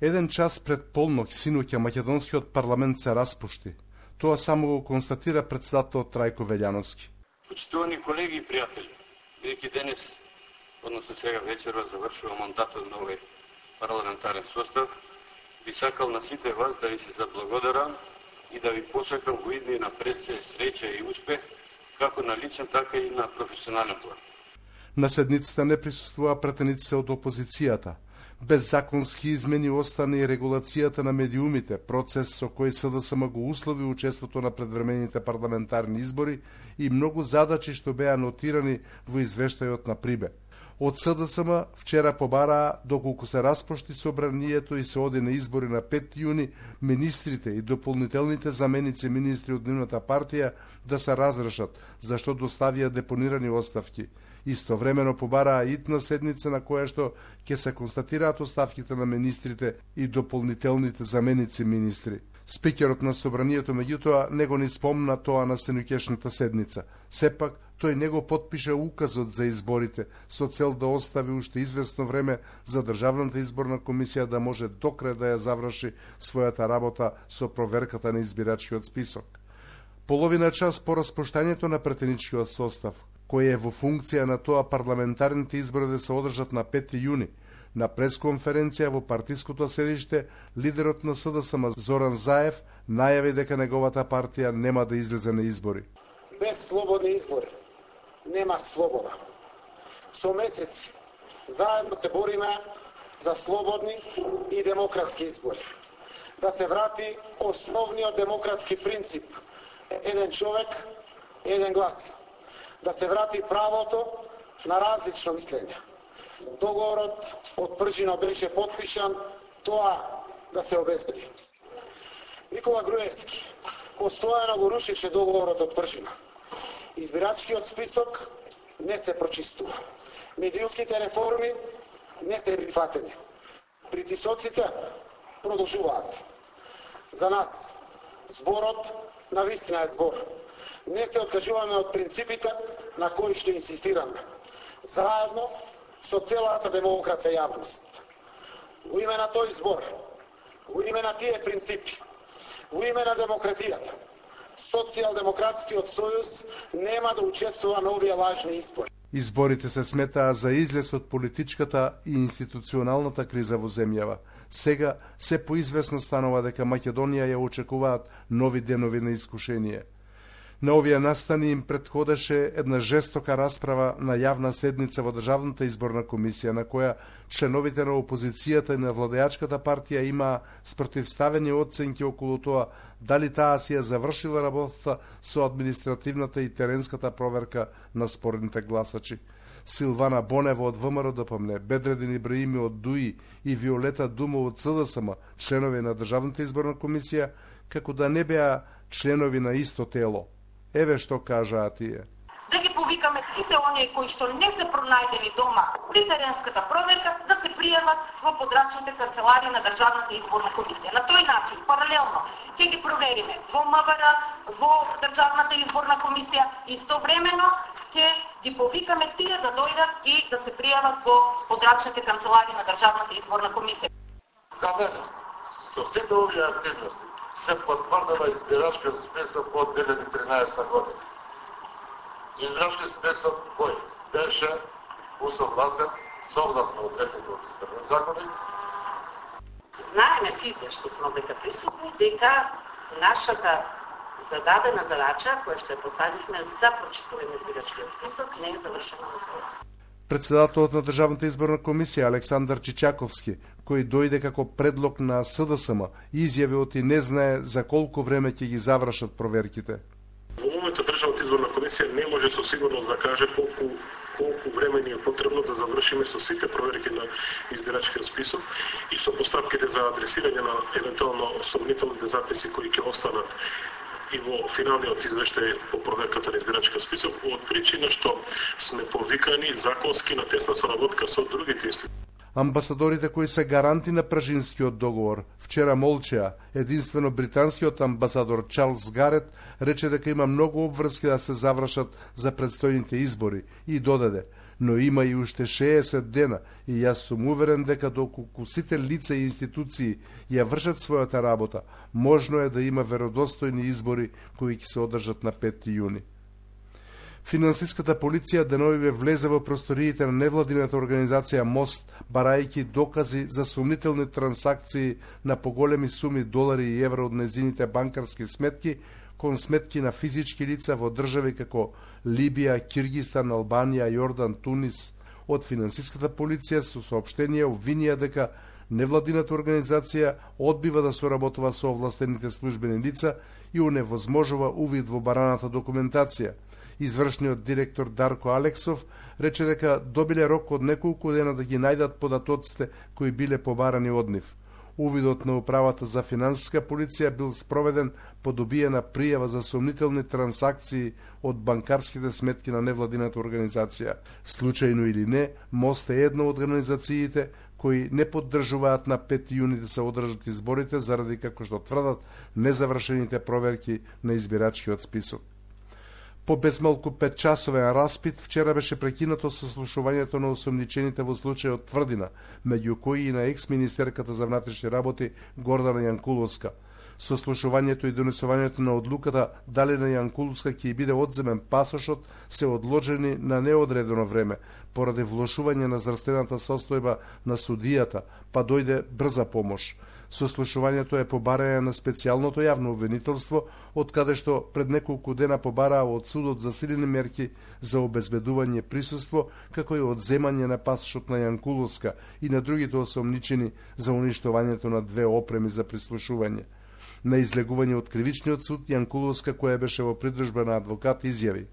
Еден час пред полнок синоќа македонскиот парламент се распушти. Тоа само го констатира председателот Трајко Велјановски. Почитувани колеги и пријатели, бидејќи денес, односно сега вечерва, завршува мандатот на овој парламентарен состав, би сакал на сите вас да ви се заблагодарам и да ви посакам во идни напред среќа и успех, како на личен, така и на професионален план. На седницата не присуствува пратениците од опозицијата. Без законски измени остана и регулацијата на медиумите, процес со кој СДСМ го услови учеството на предвремените парламентарни избори и многу задачи што беа нотирани во извештајот на Прибе. Од СДСМ вчера побараа, доколку се распушти собранието и се оди на избори на 5 јуни, министрите и дополнителните заменици министри од нивната партија да се разрешат, зашто доставија депонирани оставки. Истовремено побараа итна седница на која што ќе се констатираат оставките на министрите и дополнителните заменици министри. Спикерот на собранието меѓутоа не го ни спомна тоа на сенукешната седница. Сепак, тој не го потпише указот за изборите со цел да остави уште известно време за Државната изборна комисија да може до крај да ја заврши својата работа со проверката на избирачкиот список. Половина час по распуштањето на претеничкиот состав, кој е во функција на тоа парламентарните избори да се одржат на 5 јуни, на пресконференција во партиското седиште, лидерот на СДСМ Зоран Заев најави дека неговата партија нема да излезе на избори. Без слободни избори нема слобода. Со месеци заедно се бориме за слободни и демократски избори. Да се врати основниот демократски принцип еден човек, еден глас. Да се врати правото на различно мислење. Договорот од Пржина беше потпишан, тоа да се обезбеди. Никола Груевски постојано го рушеше договорот од Пржина. Избирачкиот список не се прочистува. Медиумските реформи не се прифатени. Притисоците продолжуваат. За нас зборот на вистина е збор. Не се откажуваме од принципите на кои што инсистираме. Заедно со целата демократска јавност. Во име на тој збор, во име на тие принципи, во име на демократијата, Социјалдемократскиот сојуз нема да учествува на овие лажни избори. Изборите се сметаа за излез од политичката и институционалната криза во земјава. Сега се поизвестно станува дека Македонија ја очекуваат нови денови на искушение. На овие настани им претходеше една жестока расправа на јавна седница во Државната изборна комисија, на која членовите на опозицијата и на владеачката партија имаа спротивставени оценки околу тоа дали таа си ја завршила работата со административната и теренската проверка на спорните гласачи. Силвана Бонева од ВМРО-ДПМНЕ, Бедредин Ибраими од ДУИ и Виолета Думо од СДСМ, членови на Државната изборна комисија, како да не беа членови на исто тело. Еве што кажаа тие. Да ги повикаме сите оние кои што не се пронајдени дома при теренската проверка да се пријават во подрачните канцеларии на Државната изборна комисија. На тој начин, паралелно, ќе ги провериме во МВР, во Државната изборна комисија и истовремено ќе ги повикаме тие да дојдат и да се пријават во подрачните канцеларии на Државната изборна комисија. За мене, со сите овие активности се потврдува избирачкиот список од 2013 година. Избирачки список кој беше усогласен согласно одредбите од изборниот законник. Знаеме сите што сме дека присутни дека нашата зададена задача која што ја поставивме за прочистување на избирачкиот список не е завршена во целост. Председателот на Државната изборна комисија Александар Чичаковски, кој дојде како предлог на СДСМ, изјави оти не знае за колку време ќе ги завршат проверките. Во моментот Државната изборна комисија не може со сигурност да каже колку време ни е потребно да завршиме со сите проверки на избирачкиот список и со постапките за адресирање на евентуално сомнителните записи кои ќе останат и во финалниот извештај по проверката на избирачкиот список, од причина што сме повикани законски на тесна соработка со другите институции. Амбасадорите кои се гаранти на Пражинскиот договор вчера молчеа. Единствено британскиот амбасадор Чарлс Гарет рече дека има многу обврски да се завршат за предстојните избори и додаде: но има и уште 60 дена и јас сум уверен дека доколку сите лица и институции ја вршат својата работа, можно е да има веродостојни избори кои ќе се одржат на 5 јуни. Финансиската полиција деновиве влезе во просториите на невладината организација МОСТ, барајќи докази за сумнителни трансакции на поголеми суми долари и евро од незините банкарски сметки кон сметки на физички лица во држави како Либија, Киргистан, Албанија, Јордан, Тунис. Од финансиската полиција со соопштенија обвинија дека невладината организација одбива да соработува со овластените службени лица и оневозможува увид во бараната документација. Извршниот директор Дарко Алексов рече дека добиле рок од неколку дена да ги најдат податоците кои биле побарани од нив. Увидот на управата за финансиска полиција бил спроведен по добиена пријава за сомнителни трансакции од банкарските сметки на невладината организација. Случајно или не, МОСТ е една од организациите кои не поддржуваат на 5 јуни да се одржат изборите заради, како што тврдат, незавршените проверки на избирачкиот список. По безмалку 5-часовен распит, вчера беше прекинато сослушувањето на осомничените во случајот Тврдина, меѓу кои и на екс-министерката за внатрешни работи Гордана Јанкуловска. Сослушувањето и донесувањето на одлуката дали на Јанкуловска ќе биде одземен пасошот се одложени на неодредено време, поради влошување на здравствената состојба на судијата, па дојде брза помош. Сослушувањето е побарање на специјалното јавно обвинителство, од каде што пред неколку дена побараа од судот засилени мерки за обезбедување присуство, како и одземање на пасошот на Јанкуловска и на другите осомничени за уништувањето на 2 опреми за прислушување. На излегување од кривичниот суд, Јанкуловска, која беше во придружба на адвокат, изјави: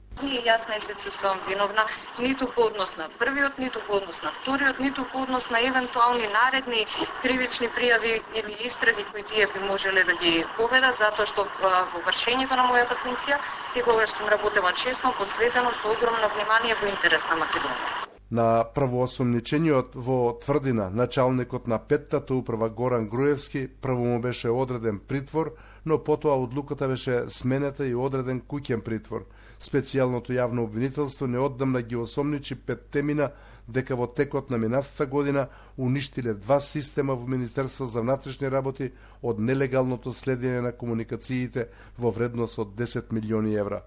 Јас не се чувствувам виновна ниту по однос на првиот, ниту по однос на вториот, ниту по однос на евентуални наредни кривични пријави или истраги кои тие би можеле да ги поведат, затоа што во вршењето на мојата функција секогаш сум работела честно, посветено, со огромно внимание во интерес на Македонија. На првоосомничениот во Тврдина, началникот на 5-та управа Горан Груевски, прво му беше одреден притвор, но потоа одлуката беше сменета и одреден куќен притвор. Специјалното јавно обвинителство неодамна ги осомничи 5 мина дека во текот на минатата година уништиле 2 система во Министерство за внатрешни работи од нелегалното следење на комуникациите во вредност од 10 милиони евра.